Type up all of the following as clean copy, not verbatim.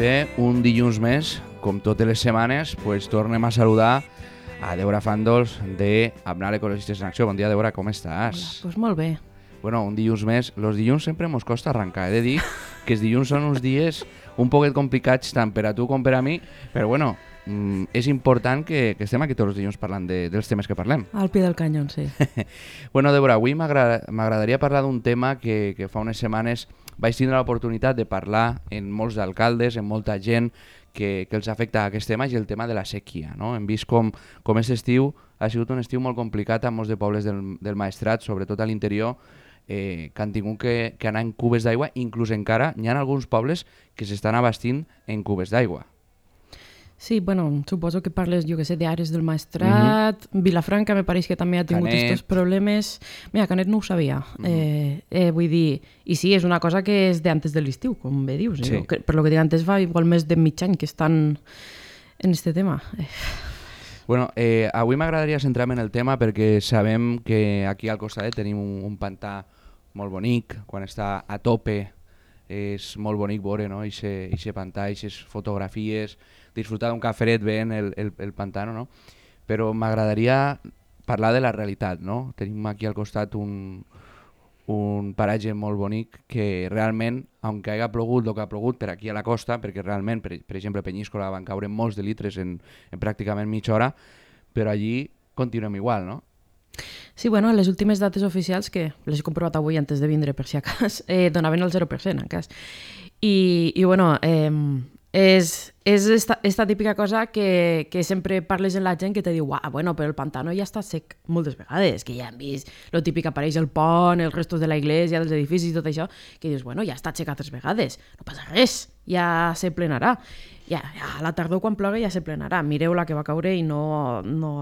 bé, un dilluns més, com totes les setmanes, pues tornem a saludar a Débora Fandols de Abnal Ecologistes en Acció. Bon dia, Débora, com estàs? Hola, pues molt bé. Bueno, un dilluns més. Los dilluns sempre mos costa arrencar. He de dir que els dilluns són uns dies un poquet complicats tant per a tu com per a mi, però bueno, és important que estem aquí tots els dilluns parlant dels temes que parlem. Al pie del canyón, sí. Bueno, Débora, avui m'agradaria parlar d'un tema que fa unes setmanes vaig tindre l'oportunitat de parlar en molts alcaldes, en molta gent que els afecta aquest tema, i el tema de la sequia, no? Hem vist com aquest estiu ha sigut un estiu molt complicat a molts de pobles del Maestrat, sobretot a l'interior, que han tingut que anar en cubes d'aigua, inclús encara hi ha alguns pobles que s'estan abastint en cubes d'aigua. Sí, bueno, suposo que parles, jo que sé, d'Ares del Maestrat, Vilafranca me pareix que també ha tingut aquests problemes. Mira, Canet no ho sabia. Vull dir, i sí, és una cosa que és d'antes de l'estiu, com bé dius. Sí. Per lo que dic antes fa igual més de mig any que estan en este tema. Bueno, avui m'agradaria centrar-me en el tema perquè sabem que aquí al costat tenim un pantà molt bonic, quan està a tope és molt bonic veure, no? Eixe pantà, eixes fotografies, disfrutar d'un caferet veient el pantano, no? Però m'agradaria parlar de la realitat, no? Tenim aquí al costat un paratge molt bonic que realment, aunque hagi plogut el que ha plogut per aquí a la costa, perquè realment, per exemple, a Penyíscola van caure molts de litres en pràcticament mitja hora, però allí continuem igual, no? Sí, bueno, les últimes dates oficials, que les he comprovat avui antes de vindre per si a cas, donaven el 0% en cas. I bueno, és esta típica cosa que sempre parles amb la gent que te diu bueno, però el pantano ja està sec moltes vegades, que ja hem vist lo típic, apareix el pont, els restos de la iglesia, dels edificis i tot això, que dius, bueno, ja està sec altres vegades, no passa res, ja se plenarà. Ja a la tardor quan ploga ja se plenarà. Mireu la que va caure i no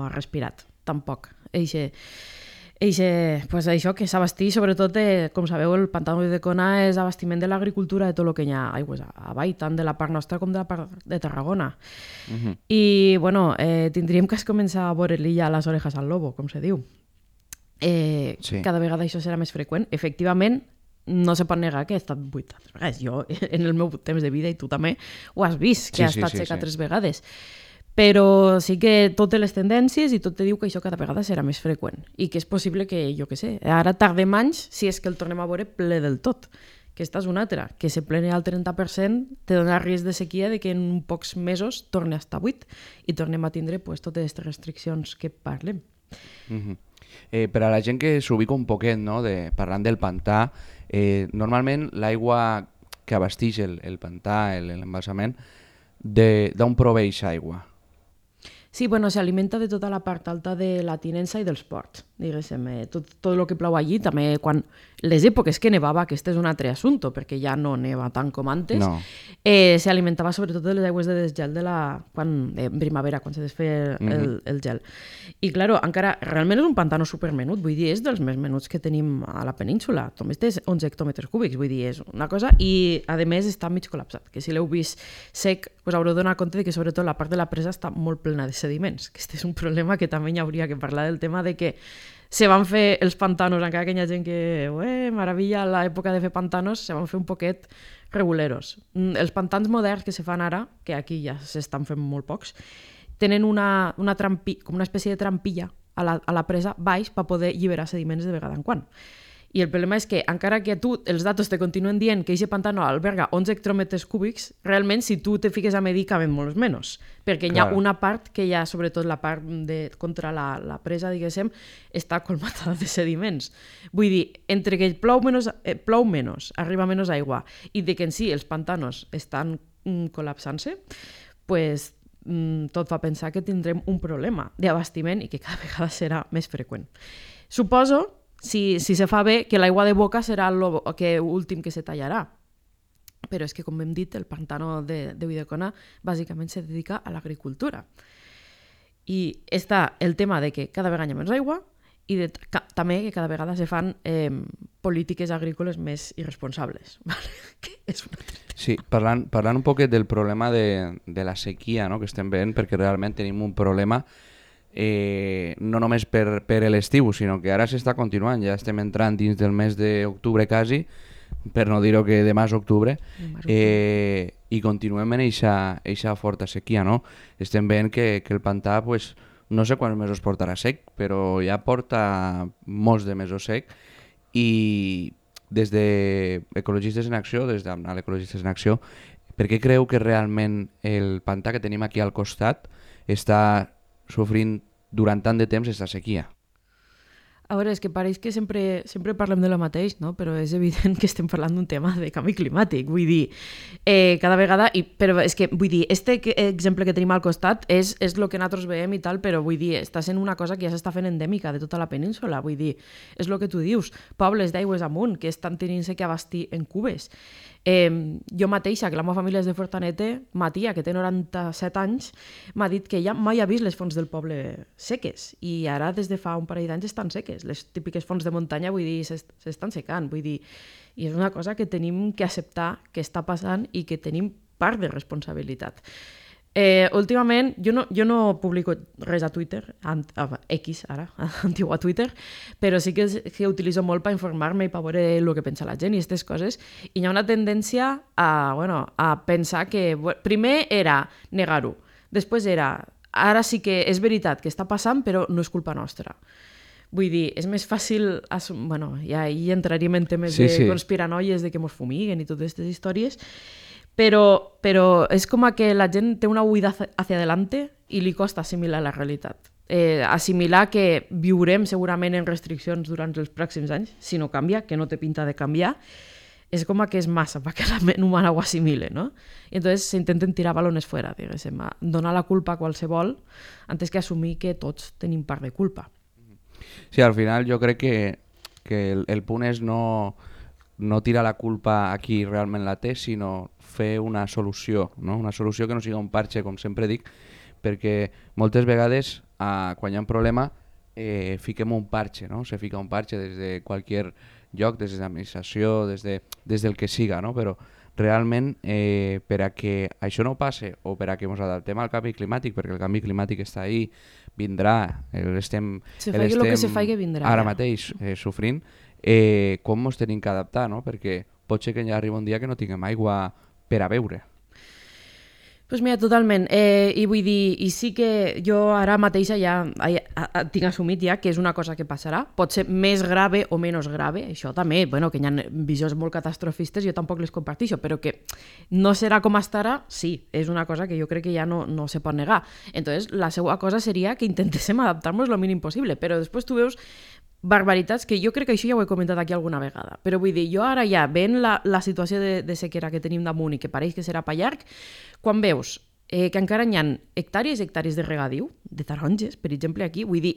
ha respirat, tampoc. Pues això que s'abastí, sobretot, com sabeu, el pantà de Cona és abastiment de l'agricultura de tot el que hi ha aigües avall, tant de la part nostra com de la part de Tarragona. I, bueno, tindríem que començar a veure l'illa a les orejas al lobo, com se diu. Sí. Cada vegada això serà més freqüent. Efectivament, no se pot negar que ha estat buit altres vegades. Jo, en el meu temps de vida, i tu també, ho has vist, que ha estat sec altres vegades. Però sí que totes les tendències i tot te diu que això cada vegada serà més freqüent i que és possible que, jo què sé, ara tardem anys si és que el tornem a veure ple del tot. Que esta és una altra, que se plene al 30% te dona risc de sequia de que en pocs mesos torni a estar buit i tornem a tindre pues, totes aquestes restriccions que parlem. Per a la gent que s'ubica un poquet, no? Parlant del pantà, normalment l'aigua que abasteix el pantà, l'embalsament, d'on proveix aigua? Sí, bueno, s'alimenta de tota la part alta de la tinença i dels ports, diguéssim. Tot el que plou allí, també quan les èpoques que nevava, aquest és un altre assumpte, perquè ja no neva tant com antes, s'alimentava sobretot de les aigües de desgel en primavera, quan se desfeia el gel. I, clar, encara realment és un pantano supermenut, vull dir, és dels més menuts que tenim a la península. Només té 11 hectòmetres cúbics, vull dir, és una cosa, i, a més, està mig col·lapsat, que si l'heu vist sec, us haureu de donar compte de que, sobretot, la part de la presa està molt plena de sediments, que este és un problema que també hi hauria que parlar del tema de que se van fer els pantanos, encara que hi ha gent que, maravilla, a l'època de fer pantanos, se van fer un poquet reguleros. Els pantans moderns que se fan ara, que aquí ja s'estan fent molt pocs, tenen com una espècie de trampilla a la presa baix per poder alliberar sediments de vegada en quan. I el problema és que, encara que tu els datos te continuen dient que aquest pantano alberga 11 hectòmetres cúbics, realment, si tu te fiques a medir, caben molts menys. Perquè hi ha una part que hi ha, sobretot la part contra la presa, diguéssim, està colmatada de sediments. Vull dir, entre que plou menys, arriba menys aigua, i de que en si els pantanos estan col·lapsant-se, pues, tot fa pensar que tindrem un problema d'abastiment i que cada vegada serà més freqüent. Suposo, si se fa bé, que l'aigua de boca serà l'últim que se tallarà. Però és que, com hem dit, el pantano de Ulldecona bàsicament se dedica a l'agricultura. I està el tema de que cada vegada hi ha menys aigua i també que cada vegada se fan polítiques agrícoles més irresponsables. Sí, parlant un poquet del problema de la sequia, no?, que estem veient, perquè realment tenim un problema no només per l'estiu, sinó que ara s'està continuant, ja estem entrant dins del mes d'octubre quasi, per no dir-ho que demà és octubre, i continuem en eixa forta sequia, no? Estem veient que el pantà, pues, no sé quants mesos portarà sec, però ja porta molts de mesos sec i des d'Ecologistes en Acció, des d'Amnal Ecologistes en Acció, per què creu que realment el pantà que tenim aquí al costat està sofrint durant tant de temps aquesta sequia? A veure, és que pareix que sempre parlem de lo mateix, no? Però és evident que estem parlant d'un tema de canvi climàtic. Vull dir, cada vegada... Però és que, vull dir, exemple que tenim al costat és el que nosaltres veiem i tal, però vull dir, està sent una cosa que ja s'està fent endèmica de tota la península. Vull dir, és el que tu dius. Pobles d'aigües amunt que estan tenint-se que abastir en cubes. Jo mateixa, que la meva família és de Fortanete, ma tia, que té 97 anys, m'ha dit que ja mai ha vist les fonts del poble seques i ara des de fa un parell d'anys estan seques. Les típiques fonts de muntanya, vull dir, s'estan secant, vull dir, i és una cosa que tenim que acceptar que està passant i que tenim part de responsabilitat. Últimament, jo no publico res a Twitter, X ara, antigua Twitter, però sí que utilitzo molt per informar-me i per veure el que pensa la gent i aquestes coses, i hi ha una tendència a pensar que... Primer era negar-ho, després era, ara sí que és veritat que està passant, però no és culpa nostra. Vull dir, és més fàcil... Bueno, ja hi entraríem en temes de conspiranoies, de que mos fumiguen i totes aquestes històries, però és com que la gent té una huida hacia adelante i li costa assimilar la realitat. Assimilar que viurem segurament en restriccions durant els pròxims anys, si no canvia, que no té pinta de canviar, és com que és massa perquè la ment humana ho assimile, no? I entonces s'intenten tirar balones fuera, diguéssim, donar la culpa a qualsevol antes que assumir que tots tenim part de culpa. Sí, al final jo crec que el punt és no tirar la culpa a qui realment la té, sinó fer una solució, no? Una solució que no siga un parche, com sempre dic, perquè moltes vegades quan hi ha un problema fiquem un parche, no? Se fica un parche des de qualsevol lloc, des de l'administració, des del que siga, no? Però realment per a que això no passe o per a que ens adaptem al canvi climàtic, perquè el canvi climàtic està ahí, vindrà, l'estem ara mateix sofrint, com ens tenim que adaptar, no? Perquè pot ser que ja arriba un dia que no tinguem aigua per a beure. Doncs mira, totalment. I vull dir, i sí que jo ara mateixa ja tinc assumit ja que és una cosa que passarà. Pot ser més grave o menys grave. Això també, bueno, que hi ha visions molt catastrofistes, jo tampoc les comparteixo, però que no serà com estarà, sí, és una cosa que jo crec que ja no se pot negar. Entonces, la seva cosa seria que intentéssim adaptar-nos lo mínim possible, però després tu veus barbaritats que jo crec que això ja ho he comentat aquí alguna vegada, però vull dir, jo ara ja veient la situació de sequera que tenim damunt i que pareix que serà per llarg, quan veus que encara hi ha hectàrees i hectàrees de regadiu, de taronges, per exemple, aquí, vull dir,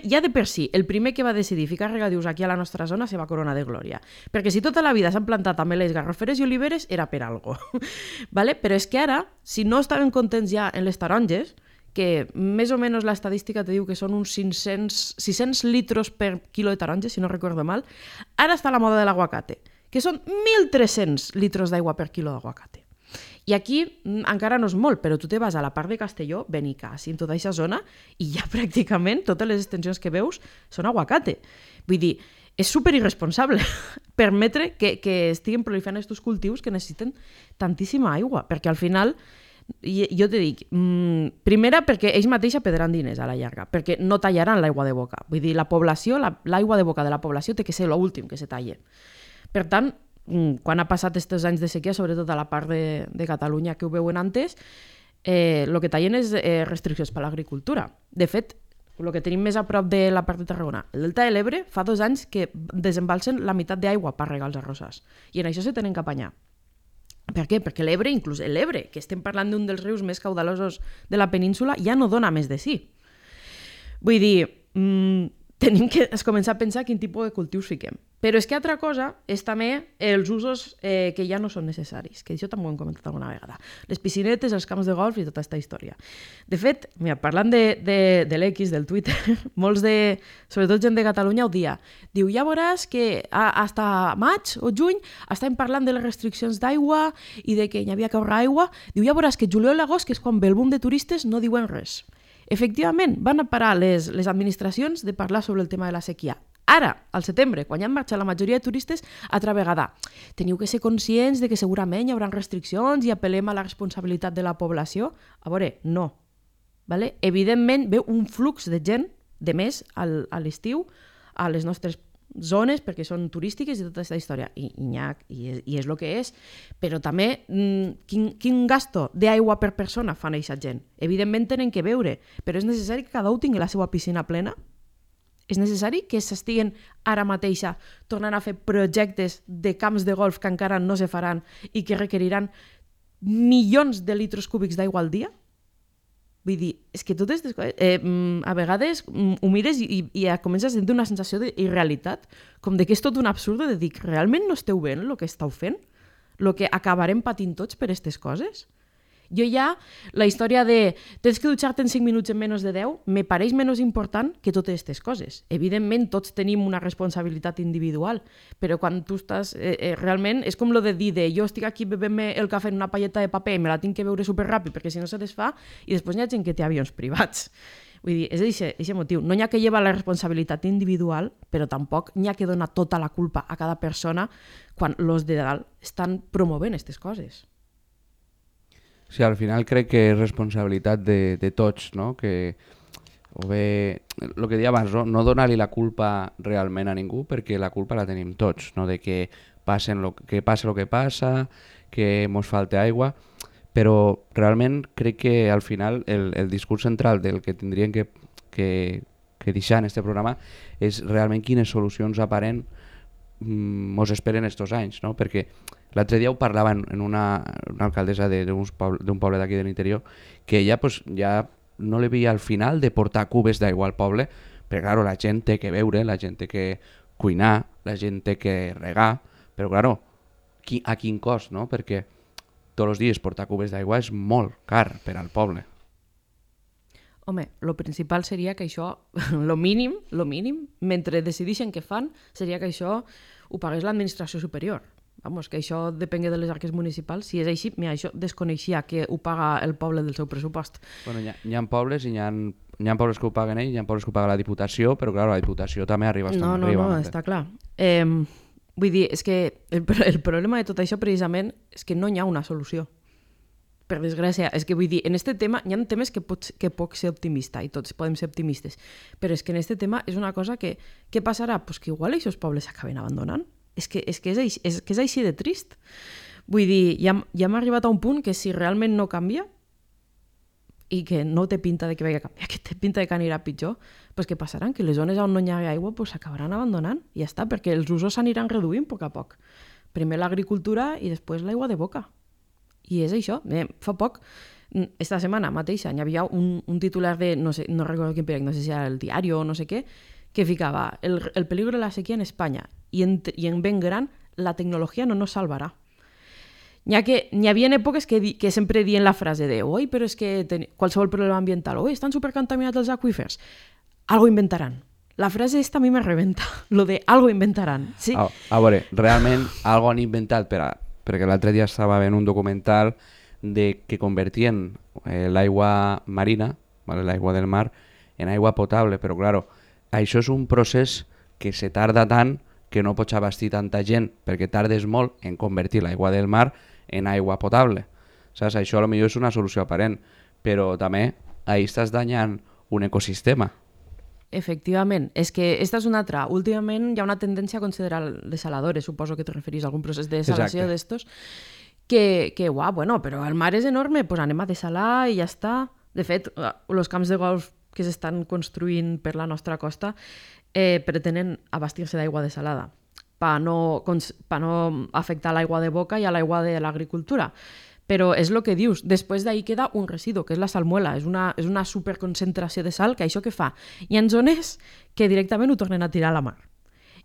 ja de per si, el primer que va decidir ficar regadius aquí a la nostra zona se va coronar de glòria, perquè si tota la vida s'han plantat ametlles, garroferes i oliveres, era per algo. Vale? Però és que ara, si no estaven contents ja en les taronges, que més o menys l'estadística te diu que són uns 600 litros per quilo de taronja, si no recordo mal, ara està la moda de l'aguacate, que són 1.300 litros d'aigua per quilo d'aguacate. I aquí encara no és molt, però tu te vas a la part de Castelló, Benicàssim, en tota aquesta zona, i ja pràcticament totes les extensions que veus són aguacate. Vull dir, és superirresponsable permetre que estiguin proliferant aquests cultius que necessiten tantíssima aigua, perquè al final... Jo te dic, primera perquè ells mateixos perdran diners a la llarga, perquè no tallaran l'aigua de boca. Vull dir, la població, l'aigua de boca de la població té que ser l'últim que se talle. Per tant, quan ha passat aquests anys de sequia, sobretot a la part de Catalunya que ho veuen antes, el que tallen és restriccions per a l'agricultura. De fet, el que tenim més a prop de la part de Tarragona, el Delta de l'Ebre, fa 2 anys que desembalsen la meitat d'aigua per regar els arrossars. I en això se tenen que apanyar. Per què? Perquè l'Ebre, inclús l'Ebre, que estem parlant d'un dels rius més caudalosos de la península, ja no dona més de sí. Vull dir, tenim que començar a pensar quin tipus de cultius fiquem. Però és que altra cosa és també els usos que ja no són necessaris, que això també ho hem comentat alguna vegada. Les piscinetes, els camps de golf i tota aquesta història. De fet, mira, parlant de l'X, del Twitter, molts sobretot gent de Catalunya ho dia. Diu, ja veuràs que hasta maig o juny estem parlant de les restriccions d'aigua i de que hi havia que ahorrar aigua. Diu, ja veuràs que juliol i agost, que és quan ve el boom de turistes, no diuen res. Efectivament, van a parar les administracions de parlar sobre el tema de la sequia. Ara, al setembre, quan ja han marxat la majoria de turistes, altra vegada, teniu que ser conscients de que segurament hi haurà restriccions i apel·lem a la responsabilitat de la població. A veure, no. Vale? Evidentment, ve un flux de gent, de més, a l'estiu, a les nostres zones, perquè són turístiques i tota aquesta història. I és el que és. Però també, quin gasto d'aigua per persona fan aquesta gent? Evidentment tenen que beure, però és necessari que cada un tingui la seva piscina plena? És necessari que s'estiguen ara mateixa tornant a fer projectes de camps de golf que encara no se faran i que requeriran milions de litres cúbics d'aigua al dia? Vull dir, és que totes aquestes coses... a vegades ho mires i comences a sentir una sensació d'irrealitat, com de que és tot un absurd de dir que realment no esteu veient el que esteu fent? El que acabarem patint tots per aquestes coses? Jo ja, la història de tens que dutxar-te en 5 minuts en menys de 10 me pareix menys important que totes aquestes coses. Evidentment, tots tenim una responsabilitat individual, però quan tu estàs... realment, és com lo de dir jo estic aquí bevent-me el cafè en una palleta de paper i me la tinc que beure superràpid perquè si no se desfà i després hi ha gent que té avions privats. Vull dir, és aquest motiu. No n'hi ha que llevar la responsabilitat individual, però tampoc n'hi ha que donar tota la culpa a cada persona quan els de dalt estan promovent aquestes coses. Sí, al final crec que és responsabilitat de tots, no? Que, o bé, el que deia abans, no donar-li la culpa realment a ningú, perquè la culpa la tenim tots, no? De que passa el que passa, que mos falta aigua, però realment crec que al final el discurs central del que tindrien que deixar en aquest programa és realment quines solucions aparents mos esperen estos anys, no? Perquè l'altre dia ho parlava en una alcaldessa d'un poble d'aquí de l'interior, que ella pues, ja no li veia al final de portar cubes d'aigua al poble, perquè claro, la gent té que beure, la gent té que cuinar, la gent té que regar, però claro, a quin cost, no? Perquè tots els dies portar cubes d'aigua és molt car per al poble. Home, el principal seria que això, lo mínim, mentre decideixen què fan, seria que això ho pagués l'administració superior. Vamos, que això depengui de les arques municipals. Si és així, mira, això desconeixia que ho paga el poble del seu pressupost. Bueno, hi ha pobles i hi ha pobles que ho paguen ells, hi ha pobles que ho paga la Diputació, però clar, la Diputació també arriba bastant arriba. No, està clar. Vull dir, és que el problema de tot això precisament és que no hi ha una solució. Per desgràcia, és que vull dir, en aquest tema hi ha temes que pots ser optimista i tots podem ser optimistes, però és que en aquest tema és una cosa que què passarà? Pues que igual aquests pobles s'acaben abandonant. És que és així de trist. Vull dir, ja hem arribat a un punt que si realment no canvia i que no té pinta de que vagi a canviar, que té pinta de que anirà pitjor, pues què passaran? Que les zones on no hi ha aigua pues s'acabaran abandonant i ja està, perquè els usos s'aniran reduint a poc a poc. Primer l'agricultura i després l'aigua de boca. I és això. Fa poc, esta setmana mateixa, hi havia un titular de, no recordo quin periòdic, no sé si era el Diari o no sé què, que ficava el peligro de la sequía en España y en ben gran la tecnología no nos salvará. N'hi havia èpoques que sempre diuen la frase de oi, però és que qualsevol problema ambiental, oi, estan supercontaminats els aqüífers, algo inventaran. La frase esta a mi me rebenta, lo de algo inventaran. Sí. A veure, realment algo han inventat perquè l'altre dia estava veient un documental de que convertien l'aigua marina, l'aigua del mar, en aigua potable, però claro, això és un procés que se tarda tant que no pots abastir tanta gent perquè tardes molt en convertir l'aigua del mar en aigua potable. Saps? Això potser és una solució aparent, però també ahí estàs danyant un ecosistema. Efectivament, és que esta és una altra. Últimament hi ha una tendència a considerar desaladores, suposo que te referís a algun procés de desalació d'estos, que bueno, però el mar és enorme, pues anem a desalar i ja està. De fet, els camps de golf que s'estan construint per la nostra costa pretenen abastir-se d'aigua desalada per no afectar l'aigua de boca i a l'aigua de l'agricultura. Però és el que dius, després d'ahir queda un residu, que és la salmuela, és una superconcentració de sal, que això què fa? Hi ha zones que directament ho tornen a tirar a la mar.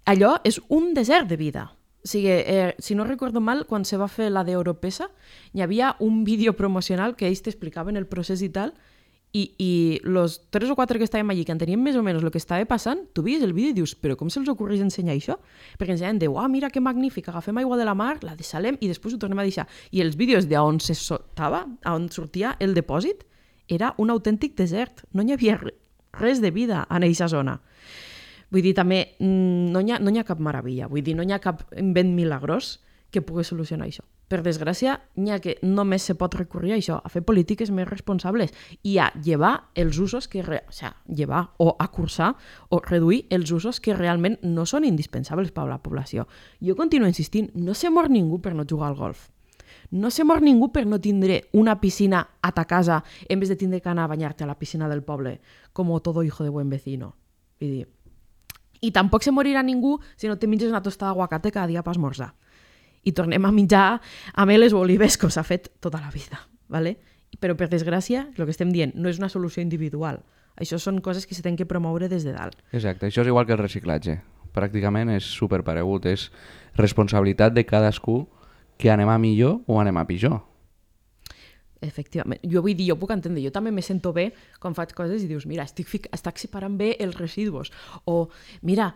Allò és un desert de vida. O sigui, si no recordo mal, quan se va fer la d'Europesa, hi havia un vídeo promocional que ells t'explicaven el procés i tal, i los 3 o 4 que estàvem allí, que enteníem més o menys el que estava passant, tu veies el vídeo i dius, però com se'ls ocorreix ensenyar això? Perquè ens deien, mira que magnífic, agafem aigua de la mar, la desalem i després ho tornem a deixar. I els vídeos d'on se soltava, on sortia el depòsit, era un autèntic desert. No hi havia res de vida en aquesta zona. Vull dir, també no hi ha cap meravella, vull dir, no hi ha cap invent milagrós que pugui solucionar això. Per desgràcia, n'hi ha que només se pot recurrir a això, a fer polítiques més responsables i a llevar els usos llevar o acursar o reduir els usos que realment no són indispensables per a la població. Jo continuo insistint, no se mor ningú per no jugar al golf. No se mor ningú per no tindre una piscina a ta casa en vez de tindre que anar a banyar-te a la piscina del poble, com todo hijo de buen vecino. Vull dir. I tampoc se morirà ningú si no te menges una tostada d'aguacate cada dia per esmorzar. I tornem a menjar ameles o olives com s'ha fet tota la vida. ¿Vale? Però, per desgràcia, el que estem dient no és una solució individual. Això són coses que s'han de promoure des de dalt. Exacte, això és igual que el reciclatge. Pràcticament és superparegut, és responsabilitat de cadascú que anem a millor o anem a pitjor. Efectivament. Jo vull dir, jo puc entendre, jo també me sento bé quan faig coses i dius, mira, estic separant bé els residus, o mira,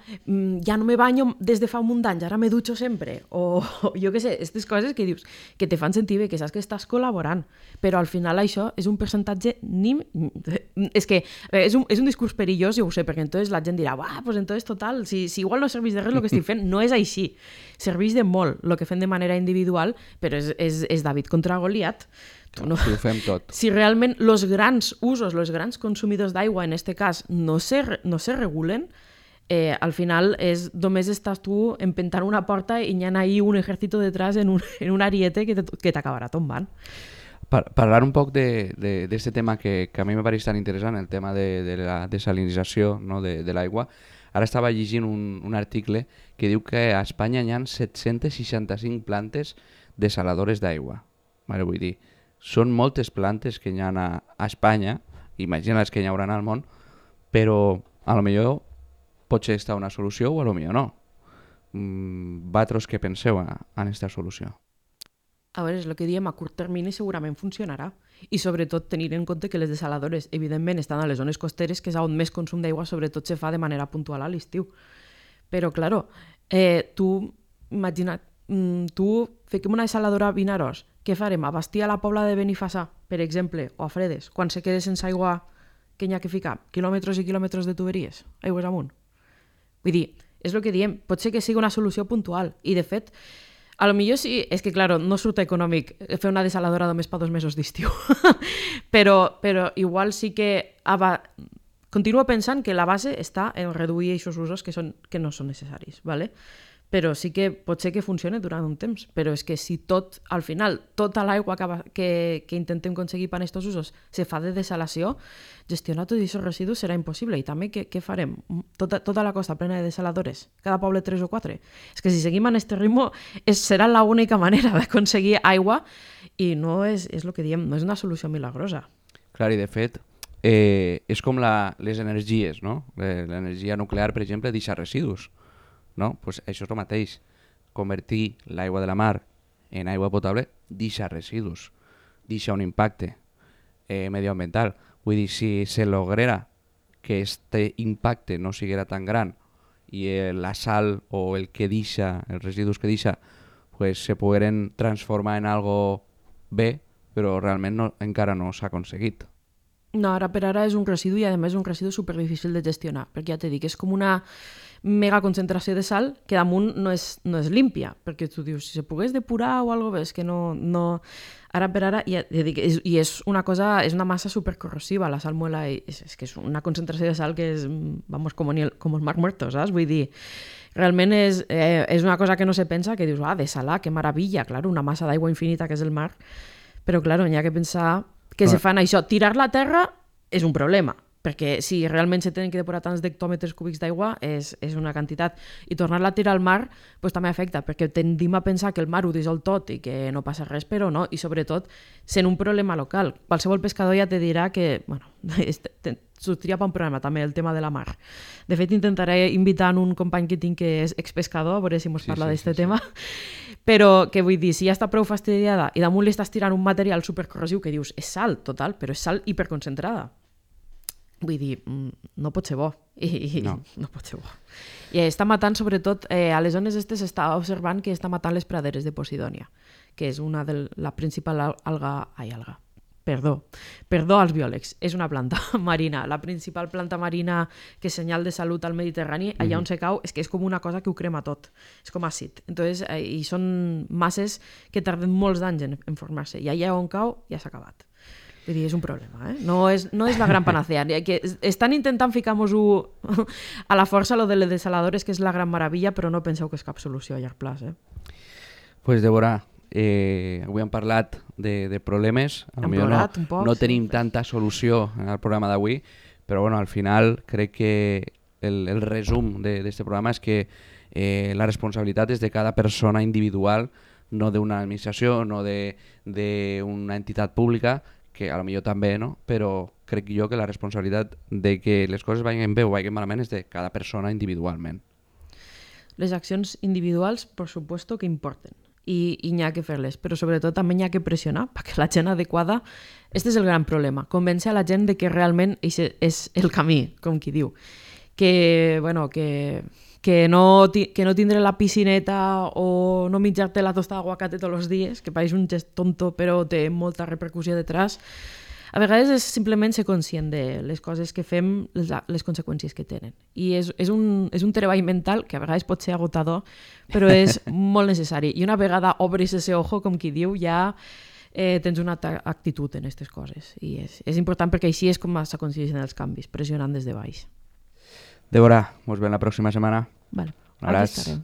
ja no me banyo des de fa un munt d'anys, ara me dutxo sempre, o jo què sé, aquestes coses que dius, que te fan sentir bé, que saps que estàs col·laborant, però al final això és un percentatge és que és un discurs perillós, jo ho sé, perquè entonces la gent dirà, pues entonces total, si igual no serveix de res el que estic fent, no és així, serveix de molt el que fem de manera individual, però és David contra Goliat. No. Si ho fem tot. Si realment els grans usos, els grans consumidors d'aigua, en aquest cas, no se regulen, al final només estàs tu empentant una porta i hi ha ahí un ejército detrás en un ariete que t'acabarà tombant. Parlar un poc d'aquest tema que a mi me pareix tan interessant, el tema de la desalinització, no, de l'aigua. Ara estava llegint un article que diu que a Espanya hi ha 765 plantes desaladores d'aigua. Vale, vull dir, són moltes plantes que hi ha a Espanya, imagina les que hi haurà al món, però a lo millor pot ser esta una solució o a lo millor no. Vosaltres què penseu en aquesta solució? A veure, és el que diem, a curt termini segurament funcionarà. I sobretot tenir en compte que les desaladores, evidentment, estan a les zones costeres, que és on més consum d'aigua sobretot se fa de manera puntual a l'estiu. Però, claro, imagina't, fiquem una desaladora a Vinaròs, què farem? Abastir a la Pobla de Benifassà, per exemple, o a Fredes, quan se quede sense aigua que hi ha que ficar? Quilòmetres i quilòmetres de tuberies, aigües amunt. Vull dir, és el que diem, pot ser que sigui una solució puntual, i de fet, a lo millor sí, és que, claro, no surt econòmic fer una desaladora només per 2 mesos d'estiu, però igual sí que continuo pensant que la base està en reduir aquests usos que no són necessaris, ¿vale? Però sí que pot ser que funcioni durant un temps, però és que si al final, tota l'aigua que intentem aconseguir per aquests usos se fa de desalació, gestionar tots aquests residus serà impossible. I també què farem? Tota la costa plena de desaladores? Cada poble 3 o 4? És que si seguim en aquest ritme serà l'única manera d'aconseguir aigua i no és el que diem, no és una solució milagrosa. Clar, i de fet, és com les energies, no? L'energia nuclear, per exemple, deixa residus. No? Pues això és el mateix. Convertir l'aigua de la mar en aigua potable deixa residus, deixa un impacte medioambiental. Vull dir, si se logrera que este impacte no siguera tan gran i la sal o el que deixa, els residus que deixa, pues, se pogueren transformar en algo bé, però realment encara no s'ha aconseguit. No, ara per ara és un residu i a més un residu superdifícil de gestionar, perquè ja t'he dit, és com una mega concentració de sal que damunt no és límpia, perquè tu dius, si se pogués depurar o alguna cosa, és que no... Ara per ara, ja dic, i és una cosa, és una massa supercorrosiva, la salmuela, és que és una concentració de sal que és, vamos, com el mar muerto, saps? Vull dir, realment és una cosa que no se pensa, que dius, desalar, que meravella, clar, una massa d'aigua infinita que és el mar, però, clar, n'hi ha que pensar que se fan això. Tirar la terra és un problema, perquè si realment se tenen que depurar tants d'hectòmetres cúbics d'aigua és una quantitat, i tornar-la a tirar al mar pues, també afecta, perquè tendim a pensar que el mar ho dissol tot i que no passa res, però no, i sobretot sent un problema local. Qualsevol pescador ja te dirà que, bueno, sortiria per un problema també el tema de la mar. De fet, intentaré invitar un company que tinc que és expescador, a veure si mos parla d'aquest tema, però que vull dir, si ja està prou fastidiada i damunt li estàs tirant un material supercorrosiu que dius, és sal, total, però és sal hiperconcentrada. Vull dir, no pot ser bo. No pot ser bo. I està matant, sobretot, a les zones estes s'està observant que està matant les praderes de Posidònia, que és una de la principal alga, Perdó als biòlegs, és una planta marina, la principal planta marina que és senyal de salut al Mediterrani, allà on se cau és que és com una cosa que ho crema tot, és com àcid. Entonces, i són masses que tarden molts anys en formar-se, i allà on cau ja s'ha acabat. Vull dir, és un problema, no és la gran panacea. Que estan intentant ficar-nos-ho a la força, lo de les desaladores, que és la gran meravella, però no penseu que és cap solució a llarg plaç. Pues, Débora, avui hem parlat de problemes, no tenim tanta solució en el programa d'avui, però bueno, al final crec que el resum d'aquest programa és que la responsabilitat és de cada persona individual, no d'una administració, no d'una entitat pública, que a lo millor també, no? Però crec jo que la responsabilitat de que les coses vagin bé o vagin malament és de cada persona individualment. Les accions individuals, per supuesto, que importen. I n'hi ha que fer-les, però sobretot també n'hi ha que pressionar perquè la gent adequada, este és el gran problema, convèncer a la gent de que realment és el camí, com qui diu, que no tindre la piscineta o no menjar-te la tostada d'aguacate tots els dies, que pareix un gest tonto però té molta repercussió detrás. A vegades és simplement ser conscient de les coses que fem, les conseqüències que tenen. I és un treball mental que a vegades pot ser agotador, però és molt necessari. I una vegada obris ese ojo, com qui diu, ja tens una altra actitud en aquestes coses. I és important perquè així és com s'aconsegueixen els canvis, pressionant des de baix. Débora, ens veiem la pròxima setmana. Vale, un abraç. Aquí estarem.